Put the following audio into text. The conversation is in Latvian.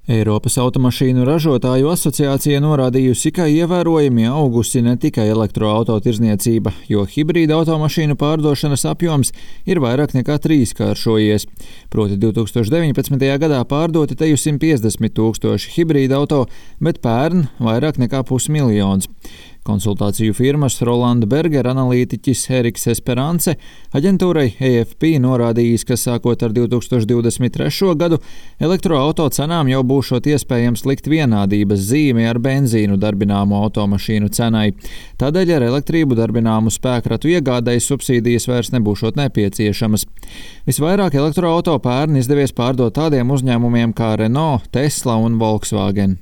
Eiropas automašīnu ražotāju asociācija norādījusi, ka ievērojami augusi ne tikai elektroauto tirdzniecība, jo hibrīda automašīnu pārdošanas apjoms ir vairāk nekā trīskāršojies. Proti 2019. gadā pārdoti teju 150 tūkstoši hibrīda auto, bet pērn vairāk nekā 500 000. Konsultāciju firmas Rolanda Berger analītiķis Eriks Esperance aģentūrai AFP norādījis, ka sākot ar 2023. gadu elektroauto cenām jau būšot iespējams likt vienādības zīmi ar benzīnu darbināmo automašīnu cenai. Tādēļ ar elektrību darbināmu spēkratu iegādai subsīdijas vairs nebūšot nepieciešamas. Visvairāk elektroauto pērn izdevies pārdot tādiem uzņēmumiem kā Renault, Tesla un Volkswagen.